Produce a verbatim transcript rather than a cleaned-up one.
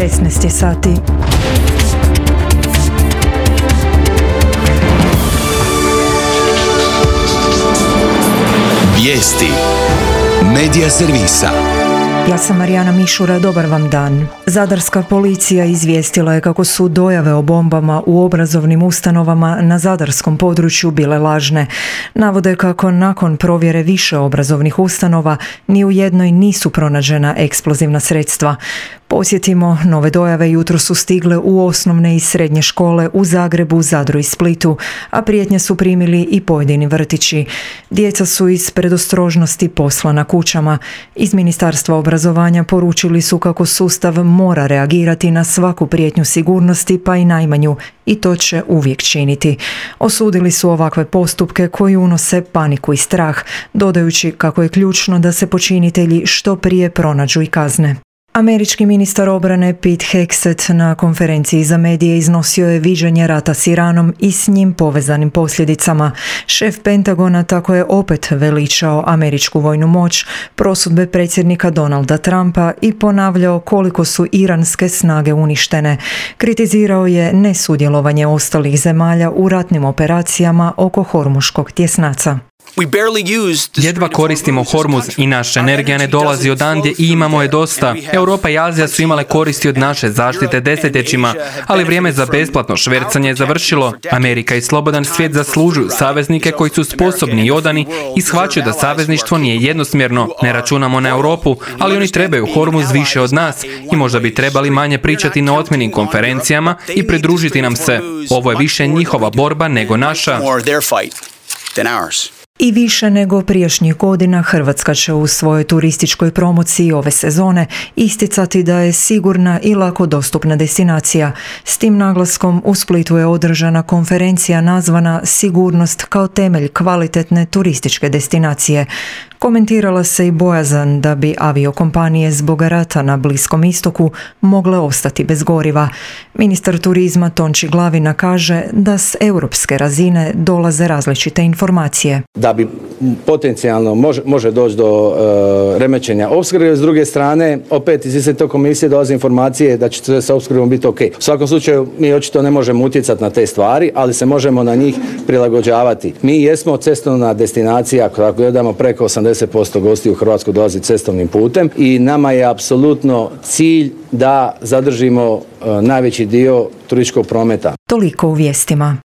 šesnaest je sati. Vijesti Medija servisa. Ja sam Marijana Mišura, dobar vam dan. Zadarska policija izvijestila je kako su dojave o bombama u obrazovnim ustanovama na zadarskom području bile lažne. Navode kako nakon provjere više obrazovnih ustanova ni u jednoj nisu pronađena eksplozivna sredstva. Posjetimo, nove dojave jutro su stigle u osnovne i srednje škole u Zagrebu, Zadru i Splitu, a prijetnje su primili i pojedini vrtići. Djeca su iz predostrožnosti poslana kućama. Iz Ministarstva obrazovanja poručili su kako sustav mora reagirati na svaku prijetnju sigurnosti, pa i najmanju, i to će uvijek činiti. Osudili su ovakve postupke koji unose paniku i strah, dodajući kako je ključno da se počinitelji što prije pronađu i kazne. Američki ministar obrane Pete Hegseth na konferenciji za medije iznosio je viđenje rata s Iranom i s njim povezanim posljedicama. Šef Pentagona tako je opet veličao američku vojnu moć, prosudbe predsjednika Donalda Trumpa i ponavljao koliko su iranske snage uništene. Kritizirao je nesudjelovanje ostalih zemalja u ratnim operacijama oko Hormuškog tjesnaca. Jedva koristimo Hormuz i naša energija ne dolazi odandje i imamo je dosta. Europa i Azija su imale koristi od naše zaštite desetljećima, ali vrijeme za besplatno švercanje je završilo. Amerika i slobodan svijet zaslužuju saveznike koji su sposobni i odani i shvaćaju da savezništvo nije jednosmjerno. Ne računamo na Europu, ali oni trebaju Hormuz više od nas i možda bi trebali manje pričati na otmjenim konferencijama i pridružiti nam se. Ovo je više njihova borba nego naša. I više nego prijašnjih godina Hrvatska će u svojoj turističkoj promociji ove sezone isticati da je sigurna i lako dostupna destinacija. S tim naglaskom u Splitu je održana konferencija nazvana Sigurnost kao temelj kvalitetne turističke destinacije. Komentirala se i bojazan da bi aviokompanije zbog rata na Bliskom istoku mogle ostati bez goriva. Ministar turizma Tonči Glavina kaže da s europske razine dolaze različite informacije. Da bi potencijalno može, može doći do uh, remećenja opskrbe, s druge strane opet iz iste te komisije dolaze informacije da će sve sa opskrbom biti ok. U svakom slučaju mi očito ne možemo utjecati na te stvari, ali se možemo na njih prilagođavati. Mi jesmo cestovna destinacija, ako gledamo preko osamdeset posto gostiju u Hrvatsku dolazi cestovnim putem i nama je apsolutno cilj da zadržimo uh, najveći dio turističkog prometa. Toliko u vijestima.